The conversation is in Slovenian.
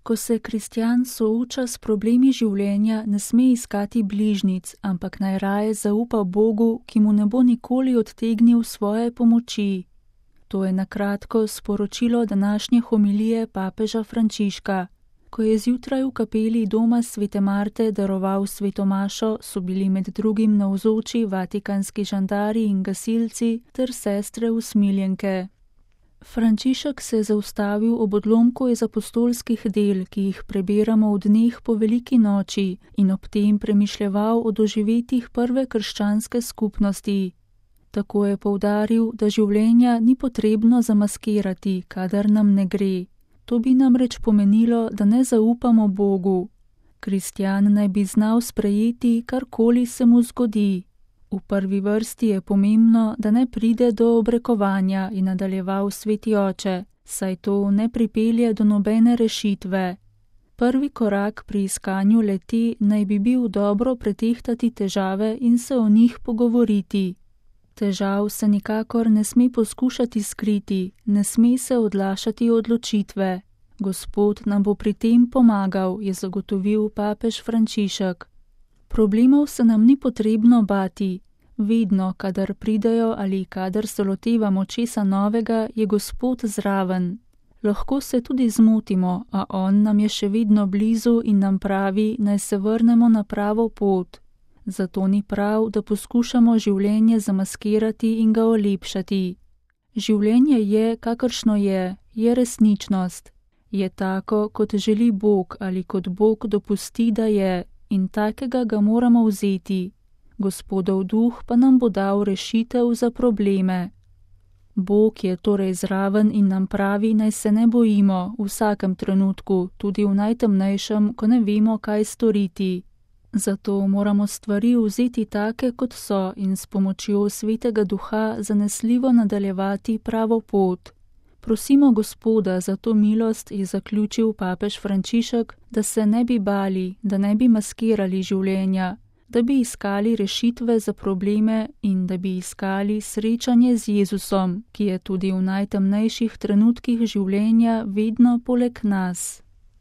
Ko se kristjan sooča s problemi življenja, ne sme iskati bližnjic, ampak naj raje zaupa Bogu, ki mu ne bo nikoli odtegnil svoje pomoči. To je na kratko sporočilo današnje homilije papeža Frančiška. Ko je zjutraj v kapeli doma Svete Marte daroval sveto mašo, so bili med drugim navzoči vatikanski žandari in gasilci ter sestre usmiljenke. Frančišek se je zaustavil ob odlomku iz apostolskih del, ki jih prebiramo v dneh po veliki noči, in ob tem premišljeval o doživetjih prve krščanske skupnosti. Tako je poudaril, da življenja ni potrebno zamaskirati, kadar nam ne gre. To bi namreč pomenilo, da ne zaupamo Bogu. Kristjan naj bi znal sprejeti, karkoli se mu zgodi. V prvi vrsti je pomembno, da ne pride do obrekovanja, in nadaljeval sveti oče, saj to ne pripelje do nobene rešitve. Prvi korak pri iskanju le-te naj bi bil dobro pretehtati težave in se o njih pogovoriti. Težav se nikakor ne sme poskušati skriti, ne sme se odlašati odločitve. Gospod nam bo pri tem pomagal, je zagotovil papež Frančišek. Problemov se nam ni potrebno bati. Vedno, kadar pridejo ali kadar se lotevamo česa novega, je Gospod zraven. Lahko se tudi zmotimo, a on nam je še vedno blizu in nam pravi, naj se vrnemo na pravo pot. Zato ni prav, da poskušamo življenje zamaskirati in ga olepšati. Življenje je, kakršno je resničnost. Je tako, kot želi Bog ali kot Bog dopusti, da je, in takega ga moramo vzeti. Gospodov duh pa nam bo dal rešitev za probleme. Bog je torej zraven in nam pravi, naj se ne bojimo v vsakem trenutku, tudi v najtemnejšem, ko ne vemo, kaj storiti. Zato moramo stvari vzeti take, kot so, in s pomočjo Svetega Duha zanesljivo nadaljevati pravo pot. Prosimo Gospoda za to milost, je zaključil papež Frančišek, da se ne bi bali, da ne bi maskirali življenja, da bi iskali rešitve za probleme in da bi iskali srečanje z Jezusom, ki je tudi v najtemnejših trenutkih življenja vedno poleg nas.